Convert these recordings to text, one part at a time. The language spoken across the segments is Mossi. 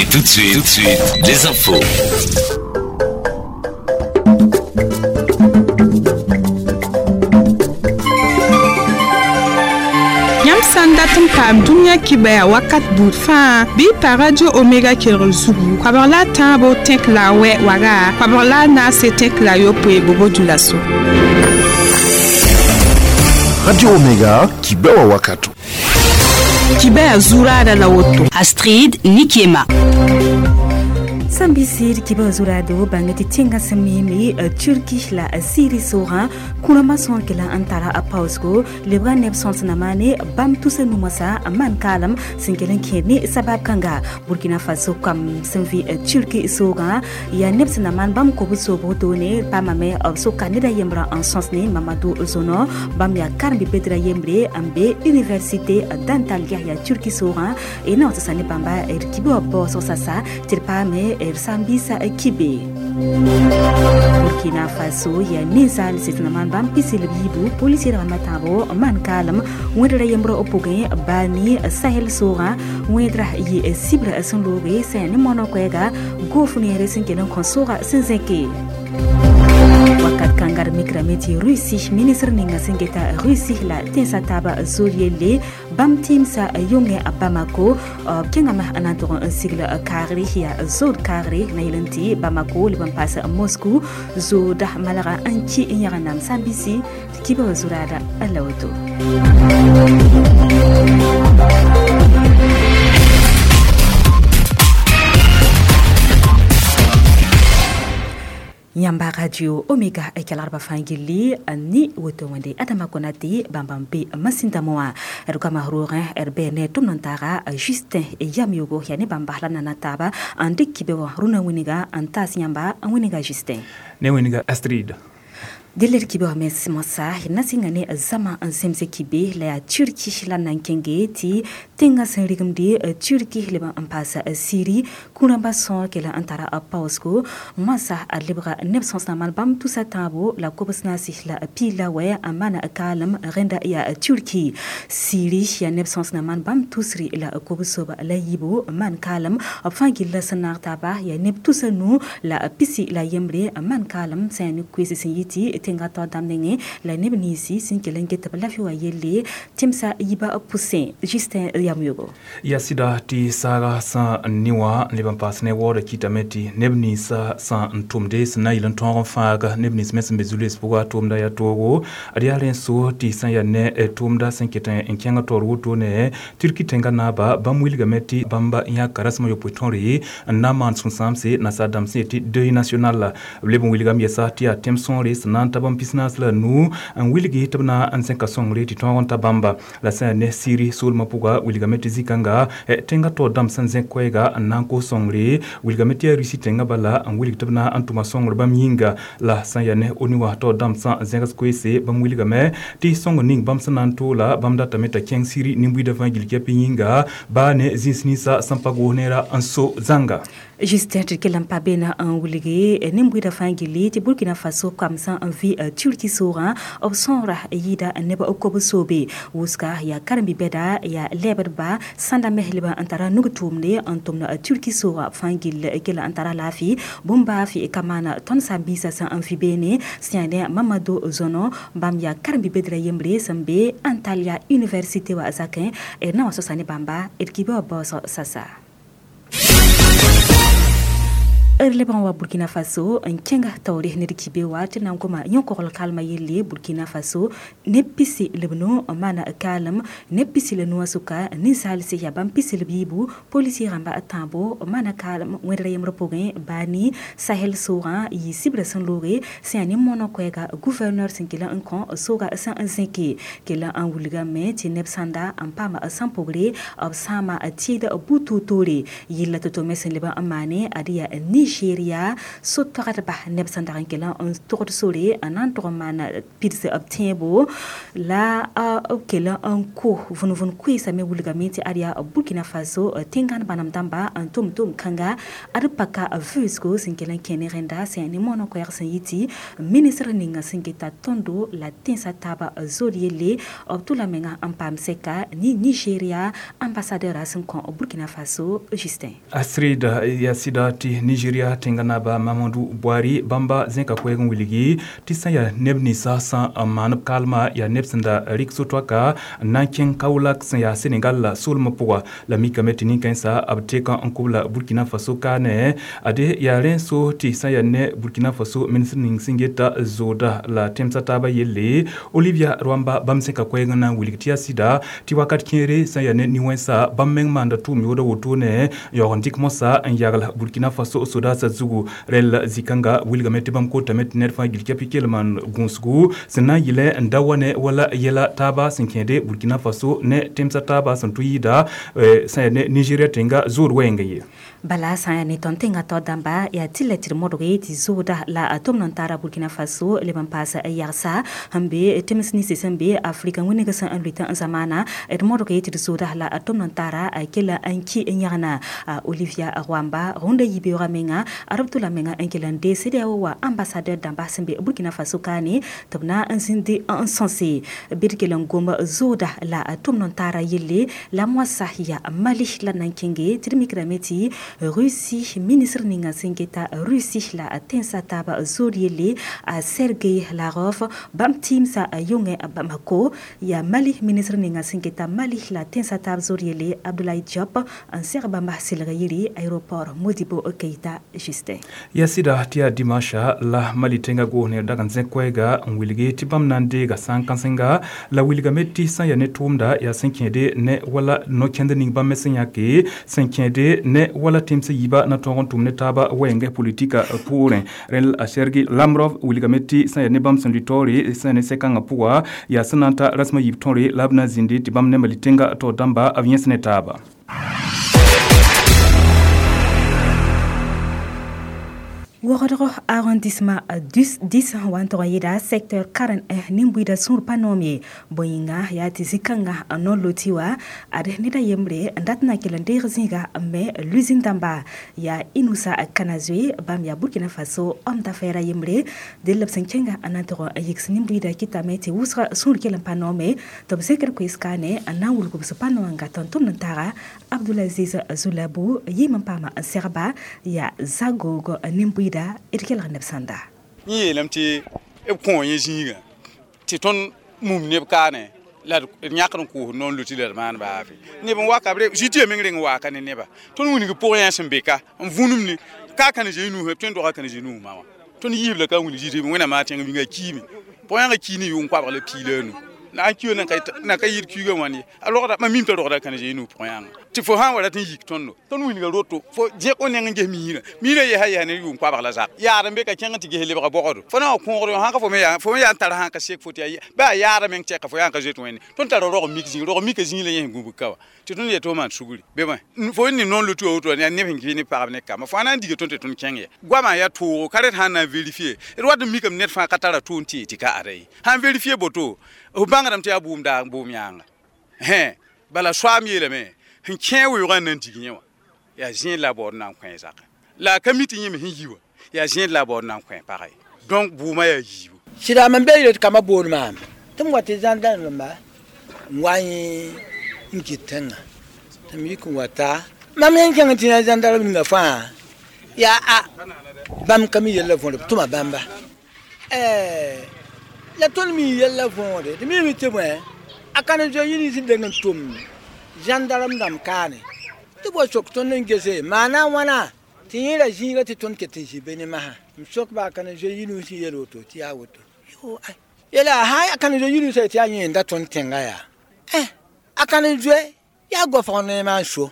Et tout de suite, les infos. Yãmb sã n dat n paam dũniyã kibaya wakat buud fãa bɩ y pa Radio Omega kelgr zugu koabg la a tãabo tẽk la a wɛ waga koabg la a naase tẽk la a yopoe bobo dulaso. Radio Omega, Kibewa Wakato. Kibaya zuraada la woto. Astrid Nikiema. Sẽn bisir kibã zuraado bãng tɩ tẽngã sẽn miime Turki la Siri soogã kũrãmbã sõor kela n tara a paoosgo lebga neb sõs na maane bãmb tusa nu-moasã n maan kaalem sẽn kell n kẽed ne sabab kãnga. Burkina Faso kam sẽn vɩ Turki soogã yaa neb sẽn na maan bãmb kobd soobg toone paamame b soka ned a yembrã n sõs ne Mamadou Zono bãmb yaa karen-bi-bedrã yembre n be université d'Antalya yaa Turki soogã y na wa sasa ne bãmba d kibã wã baoosg sasa tɩ d paame sambisa kibe. Burkina Faso yaa ninsaal sẽn na maan bãmb pisi la b yiibu polisi rãmbã tãabo maan kaalem wẽdra yembrã b pʋgẽ baani Sahel soogã wẽedra yɩ sibra sẽn looge sẽn yaa ne moanã koɛɛga goof neere sẽn kell n kõ soogã sẽn zẽke. Wakat kãnga d mikrame tɩ Russie ministr ninga sẽn geta Russie la tẽnsã taaba zoor yelle bãmb tɩɩmsã yõngẽ a Bamako b kẽngame n na n tʋg n sigl kaagre yaa zood kaagre na yel n tɩ Bamako leb n paas Moscou zooda malga n ki n yãgenam sã n bisi tɩ kibã wã zuraada la woto. Yãmba Radio Omega kelgrba fãa gilli ni woto wẽnde Adama Konate bãmba n be masĩndame wã d goama roogẽ d bɩ ne tʋmd n taaga Justin Yamyogo yaa ne bãmba la nana taaba n dɩk kibe wã rũnã wĩnga n taas yãmba n wĩnga Justin. Ne wĩnga Astrid. Dẽl d kibe wã mens moasã d na sɩnga ne zãma n zemse kibe la yaa Turki la n na n kẽnge tɩ tẽngã sẽn rigimde Turki leb n paas Siri kũ-rãmbã sõor kela n tara a paoosgo moasã a lebga neb sõs na maan bãmb tusa tãabo la kobs naase la piig la wɛ n maana kaalem rẽnda yaa Turki. Siri yaa neb sõs na maan bãmb tusri la kobs soaba la yiibu n maan kaalem b fãa gilla sẽn naag taaba yaa neb tusa nu la pisi la yembre n maan kaalem sã yaa ne koees sẽn yɩ tɩ tẽngã tao dãmb nengẽ la neb ninsi sẽn kell n get tɩ b lafi wã yelle tẽmsã yiibã pʋsẽ. Justin Yamyogo. Yaa sɩda tɩ saaga sã n ne wã n leb n paas ne waoodã kɩtame tɩ neb ninsã sã n tʋmde sẽn na n yɩl n tõog n fãag neb nins me sẽn be zu-loees pʋga tʋʋmda yaa toogo ad yaa rẽ n so tɩ sã n yaa ne tʋʋmda sẽn ket n kẽng taoor wotone Turki tẽngã naaba bãmb wilgame tɩ bãmb yãka rasem a yopoe tõre n na n maan sũ-sãamse nasaar dãmb sẽn yetɩ deuil national b leb n wilgame yɛsa tɩ yaa tẽm sõore sẽn na n ta bãmb pisnaas la nu n wilgi tɩ b na n zẽka sõngre tɩ tõog n ta bãmba la sã n yaa ne Siri soolmã pʋga wilgame tɩ zĩ-kãnga tẽngã taoor dãmb sẽn zẽk koɛɛga n na n kos sõngre wilgame tɩ yaa Rusi tẽngã bala n wilg tɩ b na n tʋma sõngr bãmb yĩnga la sã n yaa ne ONU wã taoor dãmb sã n zẽgs koeese bãmb wilgame tɩ sõngr ning bãmb sẽn na n toola bãmb datame t'a kẽng Siri nin-buiidã fãa gill kɛpɩ yĩnga baa ne zĩis ninsã sẽn pa goos neera n so zãnga. Justin tɩ kell n pa beena n wilge nin-buiidã fãa gilli tɩ Burkina Faso kamsã n vɩ Turki soogã b sõora yɩɩda neb kobs soobe wʋsga yaa karen-bi-bɛda yaa lɛɛbdba sãnda mes leb n tara nug tʋʋmde n tʋmd Turki soogã fãa gill kell n tara laafɩ bũmb baa fɩ ka maana tõnd saam-biisã sẽn n vɩ beene sẽn yaa ne Mamadou Zono bãmb yaa karen-bi-bedrã yembre sẽn be Antalya université wã zakẽ d na n wa sosa ne bãmba d kibã wã baoosg sasa. D leb n wa Burkina Faso n kẽnga taoore ned kibe wa tɩ na n goma yõ-kogl kalmã yelle Burkina Faso neb pisi la b nu n maana kaalem neb pisi la nuwã sʋka ninsaalse yaa bãmb pisi la b yiibu polisi rãmba tãabo n maana kaalem wẽdra yembrã pʋgẽ baani Sahel soogã yɩ sibra sẽn looge sẽn yaa ne moanã koɛɛga gouverneur sẽn kell n kõ sooga sẽn n zẽke kell n wilgame tɩ neb sãnda n paama sãn pʋgre b sãama tɩɩd bu-toor-toore yilla tɩ-to me sẽn leb n maane ad yaa Nigeria so-toagdba neb sẽn dag n kell n togd sore n na n tʋg n maan pids b tẽebo la b kell n ko vũn-vũn koeesã me wilgame tɩ ad yaa Burkina Faso tẽngãn bãnem dãmba n tʋm tʋm-kãnga ad paka vʋʋsgo sẽn kell n kẽ ne rẽnda sẽn ne moonã koɛɛg sẽn yɩ tɩ ministr ninga sẽn geta tõndo la tẽnsã taaba zood yelle b tʋla menga n paam sɛka ne Nigeria ambassadeur sẽn kõ Burkina Faso Justin. Astrid yaa sɩda tɩ Nigeria tẽngã naaba Mamadou Buhari bãmba zẽka koɛɛg n wilgi tɩ sã yaa neb ninsã sẽn n maan b kaalma yaa neb sẽn da rɩk so-toaka n na n kẽng Kaolack sẽn yaa Senegal la soolmã pʋga la mikame tɩ nin-kãensã b teka n kobla Burkina Faso kaane ade yaa rẽ so tɩ sã yaa ne Burkina Faso ministr ning sẽn geta zooda la tẽmsã taabã yelle Olivia Rwamba bãmb zẽka koɛɛg n na n wilg tɩ yaa sɩda tɩ wakat kẽere sã yaa ne nin-wẽnsa bãmb meng maanda tʋʋm yooda wotone n yaoog n dɩk mosã n yagl Burkina Faso sodaasã zugu rɛl zĩ-kãnga wilgame tɩ bãmb kotame tɩ ned fãa gil kɛpɩ kell maan gũusgu sẽn na n yɩlɛ n da wa ne wala yɛla taaba sẽn kẽede Burkina Faso ne tẽmsã taaba sẽn tʋ yɩɩda sã yaa ne Nigeria tẽnga zood wɛɛngã ye. Bala sã n yaa ne tõnd tẽngã tao dãmba yaa tɩ la tɩ d modge tɩ zooda la tʋm n tara Burkina Faso leb n paas yagsa sẽn be tẽms ninsi sẽn be Afrika wĩneg sẽn n lʋɩt n zamaana d modge tɩ d zooda la tʋm n tara kell n ki n yãgna Olivia Rwamba rũndã yibeoogã menga ad b tʋla menga n kell n dee CEDEAO wa ambassadeur dãmba sẽn be Burkina Faso kaane tɩ b na n zĩndi n sõse bɩ d kell n gom zooda la tʋm n tara yelle la moasã yaa Mali la na n kẽnge tɩ d mikrame tɩ Russie ministre ninga sẽn geta Russie la tẽnsã taaba zood yelle a Sergei Lavrov bãmb tɩɩmsã yõngẽ Bamako yaa Mali ministre ninga sẽn geta Mali la tẽnsã taab zood yelle Abdoulaye Diop n seg bãmba selg yiri aéroport Modibo Keita Justin. Yaa sɩda tɩ yaa dimanche la Mali tẽngã goos ne dag n zẽ koɛɛga n wilgi tɩ bãmb na n deega sãn-kãsenga la wilgame tɩ sã n yaa ne tʋʋmda yaa sẽn kẽede ne wala no-kẽnd ning bãmb me sẽn yãke sẽn kẽede ne wala tẽmsã yiibã na tõog n tʋm ne taaba wɛɛngẽ politika poorẽ rẽnd a Sergei Lavrov wilgame tɩ sã n yaa ne bãmb sẽn lʋɩ taoore sã n yaa ne sɛ-kãngã pʋga yaa sẽn na n ta rasmã yiib tõre la b na n zĩndi tɩ bãmb ne Mali tẽngã taoor dãmba b yẽs ne taaba. Wogdgo arrondissement 10 wa n tʋg n yɩɩda secteur 41 nin-buiidã sũur pa noom ye bõe-yĩnga yaa tɩ zĩ-kãngã n no loti wa ad ned a yembre n dat n na kell n deeg zĩiga n me l'usine dãmba yaa Inoussa Kanazoe bãmb yaa Burkina Faso homme d'affaires a yembre dell b sẽn kẽnga n na n tʋg n yigs nin-buiidã kɩtame tɩ wʋsga sũur kell n pa noome tɩ b zẽkd koees-kaane n na n wilg b sẽn pa noomã n gat n tʋmd n taga Abdoulaziz Zoulabou yɩɩm n paama n segba yaa Zagoog nin-buiidã d kelg neb sãnda. Yẽ yeelame tɩ b kõ yẽ zĩigã tɩ tõnd mum neb kaane la d yãkd n koos noor loti la d maan baafe neb n waka b zĩ tɩ ya meng reng n waaka ne neba tõnd wilg pʋgẽ yã sẽn be ka n vũnum ne ka ka ne zoe nuusã tõe n doga ka ne zoe nuusmã wã tõnd yiib la ka wilg zĩ tɩ wẽnnaam maa tẽng bĩnga kiime pʋgẽ yãnga kii ne yʋng koabg la piig la a nu la a kiyo na ka yɩɩd kiigã wãn ye a rogda mam mim t'a rogda ka ne zoe nuus pʋgẽ yãnga tɩ fo sã n wa rat n yik tõndo tõnd wilga roto fo zẽk o neng n ges miirã miirã yɛsa ne yʋʋm koabg la zak yaad n be ka kẽng tɩ ges lebga bɔgdo fo na wa kõogd sã ka fo me yaa n tar sã ka sek fo tɩ bɩ a yaada meng tɛka fo yaa n ka zoet wẽnde tõnd tara rog mik zĩig rog mika zĩig la yẽ sẽn gũbg ka wa tɩ tõnd yetɩ fo maan sugri bɩ bõe fo ne noor lotu wa woto yaa neb sẽn kɩ ne pagb ne kamba fo na n diga tõnd tɩ tõnd kẽng ya goamã yaa toogo ka ret sã n na n vérifier d wat n mikame ned fãa ka tara tʋʋm tɩ tɩ ka ada ye sã n vérifier boto f bãngdame tɩ yaa bʋʋm daag bʋʋm yãanga bala soaam yeelame sẽn kẽ weoogã n na n dig yẽ wã yaa zẽed la a baood na n kõ zaka la a ka mi tɩ yẽ me sẽn yi wã yaa zẽed la a baood na n kõ pagã ye donc bʋʋmã yaa yiibu. Sɩda mam be yeel tɩ kambã bool maam tɩ m wa tɩ zãndãndẽmba n wa yẽ n kɩt tẽngã tɩ m yik n wa ta mam yẽ kẽng tɩ yã zãndarb ninga fãa yaa a bãmb ka mi yella võore b tʋma bãmba la tõnd mi yella võore tɩ mime tɩ bõe a ka ne zoe yĩng sẽn deng n tʋm gendarme dãmb kaane tɩ b wa sok tõnd n gese maana wãna tɩ yẽ ra zĩiga tɩ tõnd ket n zĩ be ne masã m sok ba a ka ne zoe yĩng sẽn yel woto tɩ yaa woto yela sã a ka ne zoe yĩng tɩ yaa yẽ n da tõnd tẽnga yaa a ka ne zoe yaa gofg neemã n so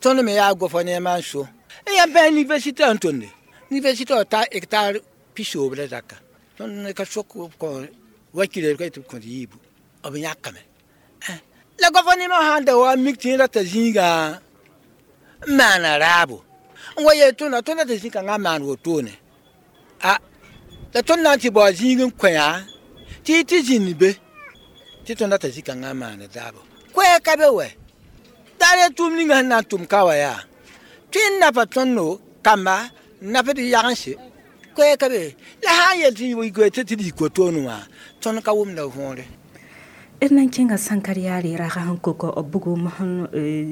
tõnd me yaa gofg neemã n so n yaa bãe université n tõnde université wa ta hectare pisoob la zaka tõnd ka sok kõ wakire ka tɩ b kõt yiibu b yãkame la gofg neemã sã n da wa mik tɩ yẽ rata zĩigã n maana raabo N wa yeel tõnda tõnd tɩ zĩ-kãngã maan wotone a la tõnd na n tɩ bao zĩig n kõ-yã tɩ y tɩ zĩnd be tɩ tõnd t'a zĩ-kãngã maana daabo koɛɛg ka be wɛ daar yaa tʋʋm ninga sẽn na n tʋm ka wa yaa tõe n napa tõndo kamba n nap d yagense koɛɛg ka be la sã n yel tɩ tɩ d yik wotone wã tõnd ka wʋmda võore. D na n kẽnga sãnkar yaare raga sẽn kok bugum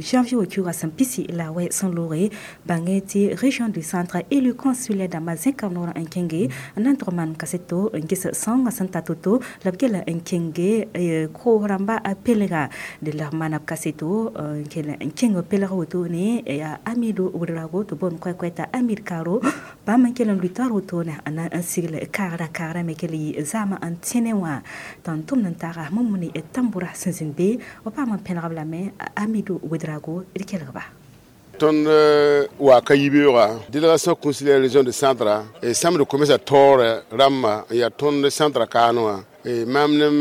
janvier wa kiuugã sẽn pisi la wɛ sẽn looge bãnge tɩ région du centre élu consulaire dãmbã zẽka noorã n kẽnge n na n tʋg maan kaseto n ges sõngã sẽn ta to-to la b gela n kẽnge koos rãmba pelega d la b maana b kaseto n kell n kẽng pelg wotone yaa Amido Ouedraogo tɩ boond koɛ-koɛ t'a Amir Karo bãmb n kell n luita wotone n na n sigl kaagra kaagrã me kell yɩ zaamã n tẽne wã tɩ n tʋmd n taaga Mumuni tambura sẽn zĩnd be b paam n pẽlgb lame Amido Ouedraogo d kelgba. Tõnd wa ka yibeoogã délégation consulaire région de centre e samd commerce taoorã rãmba n yaa tõnd centre kaane wã maam nem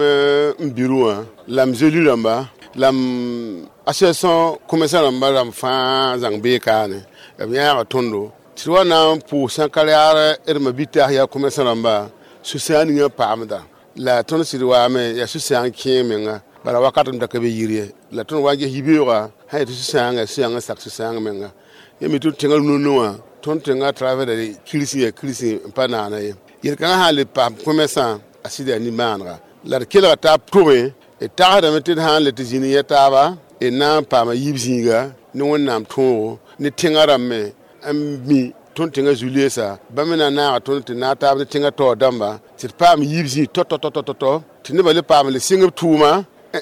n biru wã la m zeli rãmba la m association commerçant rãmba rãmb fãa zãng bee kaane b yãaga tõndo tɩ d wa na n pʋʋs sãn-ka-yaar d ma-bitaas yaa commerçant rãmba sũ-sãam ninga paamda la tõnd sɩd waame yaa sũ-sãang kẽeg menga bala wakat n da ka be yir ye la tõnd wa n ges yibeoogã sã yetɩ sũ-sãangã sũ-sãangã sak sũ-sãang menga yẽ me tɩ tẽngã rũnã wã tõnd tẽngã travers kirsi yaa kirsi n pa naana ye yel-kãngã sã n le paam commerçant a sɩd yaa nimaanega la d kelga taab tʋme d tagsdame tɩ d sã n le tɩ zĩnd yẽ taaba d na n paama yiib zĩiga ne Wẽnnaam tõogo ne tẽngã rãmb me n mi tõnd tẽngã zu-leesa bãmb me na n naaga tõnd tɩ naag taab ne tẽngã taoor dãmba tɩ d paam yiib zĩig tɔ-tɔ-tɔ-tɔ tɩ nebã le paam le sɩng b tʋʋma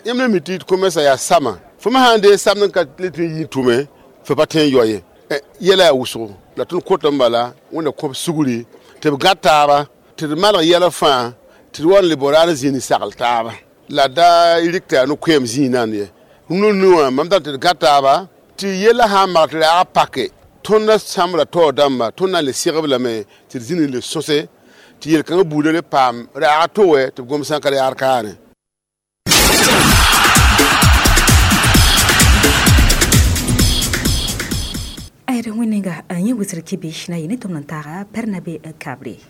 yãmb la mi tɩ commerçant yaa sama fo me sã n dee samd n ka le tɩ n yɩ tʋme fo pa tõe n yao ye yɛla yaa wʋsgo la tõnd kotame bala Wẽnda kõb sugri tɩ b gãd taaba tɩ d malg yɛla fãa tɩ d wa n le bao raar zĩig n sagl taaba la da rɩk tɩ yaa no-koɛɛm zĩig nand ye rũnã wã mam dat tɩ d gãd taaba tɩ yɛla sã n mag tɩ raag pake tõnd sãmbra taoor dãmba tõnd na n le segb lame tɩ d zĩnd n le sõse tɩ yel-kãngã buudã le paam raag to wɛ tɩ b gom sã n ka yaar kaane. Ayr wẽnenga yẽ wʋsd kibi na yɩ ne tʋmd n taaga Pɛrnabe Kabre.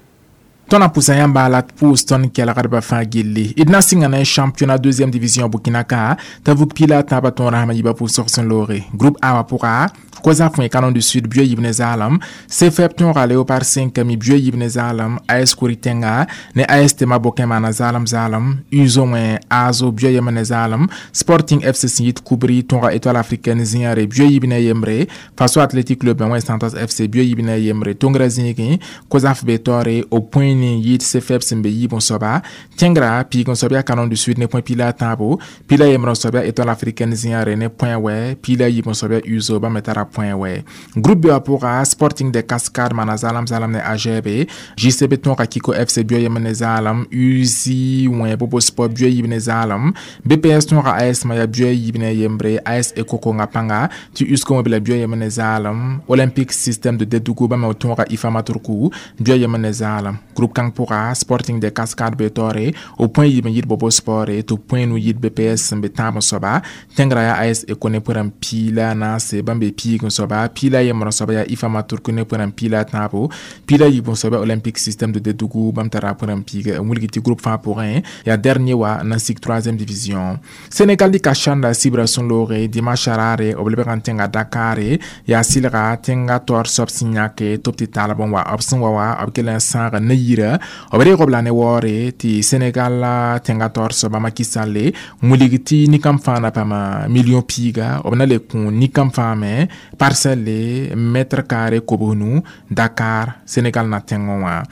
Tõnd na pʋsa yãmba la d pʋʋs tõnd kelgdbã fãa gilli d na n sɩnga ne championnat deuxième division Burkina ka t'a vug pila a tãabã tõor rasmã yiibã pʋʋsg sẽn looge groupe A wã pʋga Kosa fõe Canon du Sud buɛ yib ne zaalem CFEP tõoga Léopard 5 mi buɛ yib ne zaalem AS Kouritenga ne AS Tema Bokin maana zaalem zaalem USO wẽ ASO buɛ yem ne zaalem Sporting FC sẽn yit Koubri tõoga Étoile africaine zĩyãre buɛ yib ne yembre Faso Athletic Club wẽ Santos FC buɛ yib ne yembre tõngrã zĩigẽ Kozaf be taoore o point ni yit CFEP sẽn be yiib n soaba tẽngrã piig n soab yaa Canon du Sud ne point pila a tãabo pila yembre n soab yaa Étoile africaine zĩyãre ne point wɛ pila yiib n soab yaa USO bãmb me tara point wɛ groupe B wã pʋga Sporting de Cascade maana zaalem zaalem ne AGB JCB tõoga Kiko FC buɛ yem ne zaalem USI wẽ Bobo Sport buɛ yib ne zaalem BPS tõoga AS Maya buɛ yib ne yembre AS Ekokonga pãnga tɩ USCO wẽ bela buɛ yem ne zaalem Olympique Système de Dedougou bãmb me tõoga IFA Maturku buɛ yem ne zaalem groupe kãng pʋga Sporting de Cascade be taoore o point yib n yit Bobo Sport tɩ point nu yit BPS sẽn be tãab n soaba tẽngrã yaa AS Eko ne pʋrã piila naase bãmb be piig n soaba pila yembrã soaba yaa IFA Maturku ne pʋrã piila tãabo pila yiib n soaba Olympique Système de Dedougou bãmb tara pʋrã piig n wilg tɩ groupe fãa pʋgẽ yaa dernier wa n na sik 3e division. Sénégal dɩka sãnda sibra sẽn looge dimanche raare b lebg n tẽnga Dakar yaa sɩlga tẽnga taoor soab sẽn yãke tɩ b tɩ taalb n wa b sẽn wa wã b kell n sãag ne yira b reeg b la ne waoore tɩ Sénégal tẽnga taoor soaba Macky Sall wilg tɩ nin-kãmb fãa na paam million piiga b na le kõ nin-kãmb fãa me parcelle mètre carré kobsnu Dakar Sénégal na tẽngẽ wã.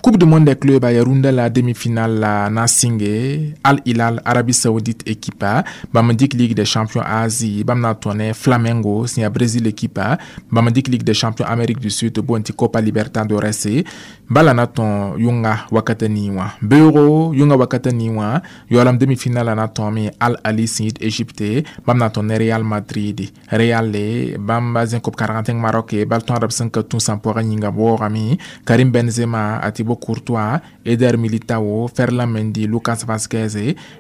Coupe du monde des clubs ya rũndã la demi-finale la na sɩnge Al Hilal Arabie Saoudite équipe bãmb n dɩk Ligue des champions Asie bãmb na n tõ ne Flamengo sẽn yaa Brésil équipe bãmb n dɩk Ligue des champions Amérique du Sud boond tɩ Copa Libertadores bala na tõe yʋnga wakata nii wã beoogo yʋnga wakata nii wã yaoolem demi-finale la na tõeme Al Ahly sẽn yit Égypte bãmb na n tõ ne Real Madrid Real le bãmb zẽ kob-kãreng tẽng Maroc bal tõadb sẽn ka tũ sãn-poagã yĩnga waoogame Karim Benzema a tɩ Thibaut Courtois, Eder Militao, Ferland Mendy, Lucas Vazquez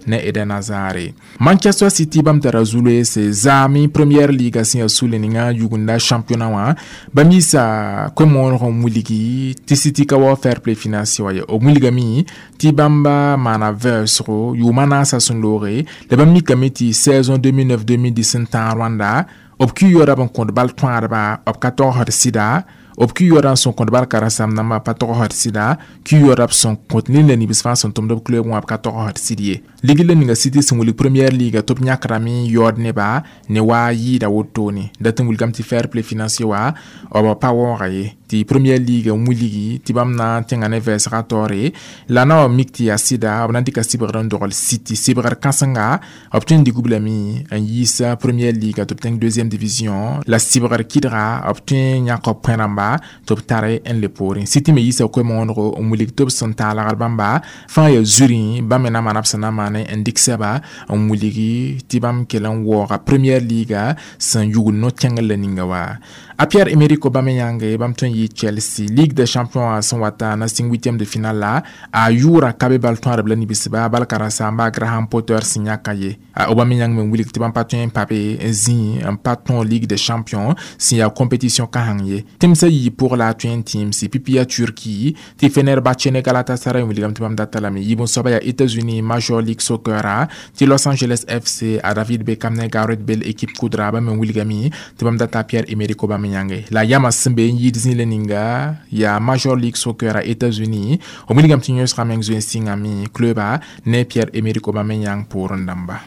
ne Eden Hazard. Manchester City bãmb tara zu-loeese zaame Premier League sẽn yaa sule ninga yugunda championnat wã bãmb yiisa koe-mooneg n wilgi tɩ City ka wa fair play financier wa ye. B wilgame tɩ bãmba maana vɛɛsgo yʋʋma naasã sẽn looge la bãmb mikame tɩ saison 2009-2010 n tãag rwanda b ki-yoora b n kõd bal tõadba b ka togsd sɩda b ki-yoora n sẽn kõt bal karen-saam nambã pa togsd sɩda ki-yoora b sẽn kõt ned la nibs fãa sẽn tʋmd b club wã b ka togsd sɩd ye. Ligd la ninga City sẽn wilg Premier League tɩ b yãkrame yaood neba ne wa yɩɩda wotone dat n wilgame tɩ fair play financier wa b pa waooga ye tɩ Premier League n wilgi tɩ bãmb na n tẽnga ne vɛɛsga taoore la na wa mik tɩ yaa sɩda b na n dɩka sɩbgr n dogl City sɩbgr kãsenga b tõe n dɩk b lame n yiis Premier League tɩ b tẽng deuxième division la sɩbgr kɩdga b tõe n yãk b põ rãmba tɩ b tare n le poorẽ. City me yiisa koe-moonego n wilg tɩ b sẽn taalgd bãmba fãa yaa zurẽ bãmb me na maana b sẽn na maan n dɩk sɛba n wilgi tɩ bãmb kell n waooga Premier League sẽn yugl no-kẽngr la ninga wa. A Pierre-Emerick Aubameyang bãmb tõe n yɩ Chelsea Ligue des Champions sẽn wata na sɩng huitième de finale la a yʋʋra ka be bal tõadb la nibsba bal karen-saamba Graham Potter sẽn yãka ye. Aubameyang me wilg tɩ bãmb pa tõe n pa be n zĩ n pa tõog Ligue des Champions sẽn yaa compétition kãseng ye. Tẽmsã yii pʋg la a tõe n tẽemse pipi yaa Turquie tɩ Fenerbahçe ne Galatasaray n wilgame tɩ bãmb data lame. Yiib n soaba yaa États-Unis Major League Soccer tɩ Los Angeles FC a David Beckham ne Gareth Bale équipe kudra bãmb me wilgame tɩ bãmb data Pierre-Emerick Aubameyang. La yama sẽn be n yɩɩd zĩ la ninga yaa Major League Soccer a États-Unis b wilgame tɩ yõsgã meng zoe n sɩngame cluba ne Pierre-Emerick Aubameyang poorẽ dãmba.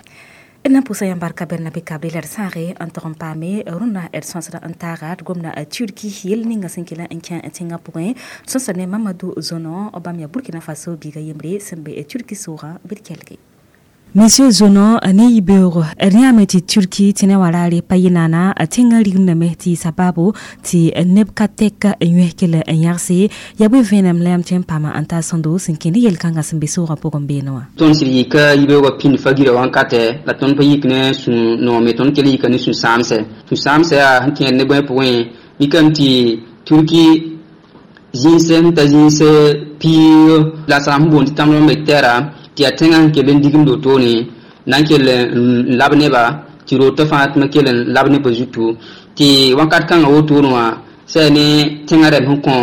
Na pʋsa yãmb barka Bernabe Kabre la d sãage n tog n paame rũnnã d sõsda n taaga d gomda Turki yel ninga sẽn kell n kẽ tẽngã pʋgẽ sõsda ne Mamadou Zonon bãmb yaa Burkina Faso biiga yembre sẽn be Turki soogã bɩ d kelge. Monsieur Zonon ne yibeoogo d yãame tɩ Turki tɩ ne wa raare pa yɩ naana tẽngã rigimdame tɩ sabaabo tɩ neb ka tɛk n yões kell n yãgse yaa bõe vẽenem la yãmb tõe n paama n taa sõndo sẽn kẽ ne yel-kãngã sẽn be soogã pʋgẽ beene wã. Tõnd sɩd yika yibeoogã pĩnd fa-girã wãnkatɛ la tõnd pa yik ne sũ-noome tõnd kell yika ne sũ-sãamsɛ. Sũ-sãamsɛ yaa sẽn kẽed ne bõe pʋgẽ mikame tɩ Turki zĩnsɛ sẽn ta zĩns piig la sã n boond tɩ tãmb me tɛra tɩ yaa tẽngã sẽn kell n digimd wotone na n kell n lab neba tɩ rootã fãa tɩ ma kell n lab nebã zutu tɩ wãnkat kãngã wotone wã sã ne tẽngã rɛm sẽn kõ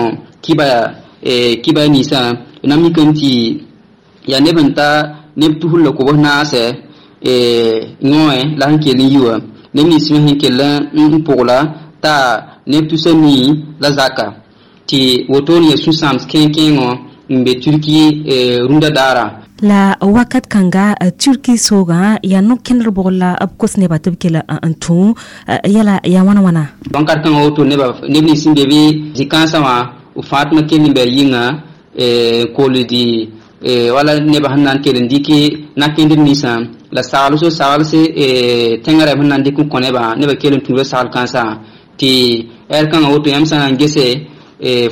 kiba ninsã na mikame tɩ yaa neb n ta neb tusr la kobs naasɛ yõe la sẽn kell n yi wã neb nins me sẽn kell n pʋgla t'a neb tusa nii la zaka tɩ wotone yaa sũ-sãams kẽeng-kẽengõ n be Turki rũndã daara. La wakat kãnga Turki soogã yaa no-kẽndr bʋgr la b kos nebã tɩ b kell n tũ yɛla yaa wãna wãna. Wãnkat kãngã woto neb nins sẽn be bɩ zĩ-kãensã wã b fãa tɩ ma kell n bɩ a yɩnga koldi wala nebã sẽn na n kell n dɩk na-kẽndr ninsã la sagls saglse tẽngã rɛm sẽn na n dɩk n kõ nebã nebã kell n tũuda sagl kãensã tɩ ɛr kãngã woto yãmb sã na n gese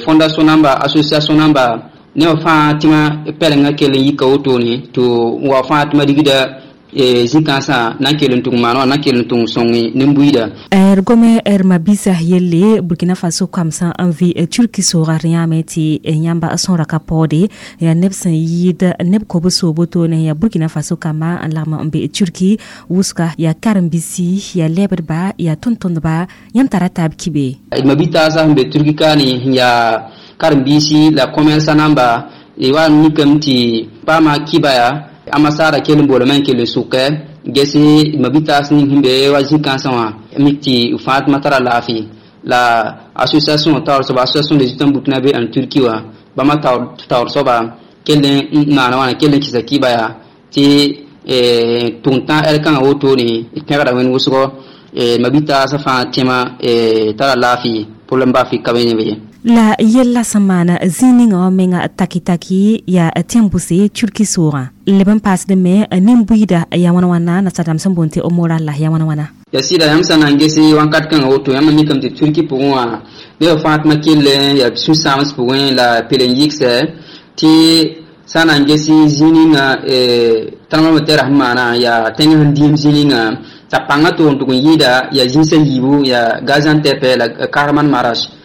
fondation namba association namba nebã fãa tɩ ma pɛlengã kell n yika wotone tɩ wa fãa tɩ ma rigda zĩ-kãensã na n kell n tʋg maan wã na n kell n tʋg sõng nin-buiida. D gome d mabisa yelle Burkina Faso kamsã n vɩ Turki soogã d yãame tɩ yãmba sõora ka paoode yaa neb sẽn yɩɩd neb kobs wotone yaa Burkina Faso kamba n lagm n be Turki wʋsga yaa karen-biisi yaa lɛbdba yaa tʋm-tʋmdba yãmb tara taab kibe. Mabitaasã sẽn be Turki kaane yaa karen-biisi la commerçant namba wa mikame tɩ paama kiba yaa ambassade kell n boolame n kell n sʋkɛ gese mabitaas ning sẽn be wa zĩ-kãensã wã mik tɩ fãa tɩ ma tara laafɩ la association taoor soaba association des étudiants burkinabé en Turquie wã bãmba taoor soaba kell n maana wãna kell n kɩsa kiba yaa tɩ tʋg tã ɛl kãngã wotone pẽgda wẽnd wʋsgɔ mabitaasã fãa tẽma tara laafɩ problème baa fɩ ka be neb ye. La yella sẽn maana zĩig ninga wã menga taki-taki yaa tẽn-bʋse Turki soogã leb n paasd me nin-buiida yaa wãna wãna nasadãmb sẽn boond tɩ moral la yaa wãna wãna. Ya sɩda yãmb sã na n gese wãnkat kãngã woto yãmb mikame tɩ Turki pʋgẽ wã nebã fãa tɩ ma kell yaa sũ-sãams pʋgẽ la pel n yɩgsɛ tɩ sã na n ges zĩig ninga tãnamã me tɛra sẽn maana yaa tẽng sẽn dĩim zĩig ninga t'a pãngã toog n tʋg n yɩɩda yaa zĩnsã yiibu yaa Gaziantep la Kahramanmaraş.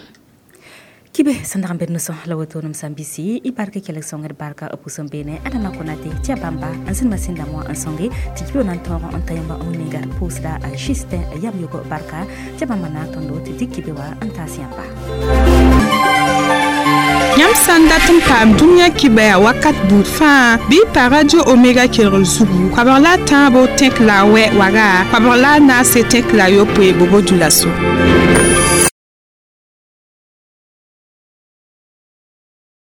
Kibe sẽn dag n bed no-sõs la woto nem sãn bisi y barka kelg sõngd barka b pʋsẽ beene. Adama Konate tɩ a bãmba n sẽn masĩn dãmbã wã n sõnge tɩ kibe na n tõog n ta yãmba n ninga d pʋʋsda Justin yam yogo barka tɩ a bãmba naag tõndo tɩ dɩk kibe wã n taas yãmba. Yãmb sã n dat n paam dũniyã kibɛa wakat buud fãa, bɩ y pa Radio Omega kelgr zugu koabg la a tãabo tẽk la a wɛ waga koabg la a naase tẽk la a yopoe bobo dulaso.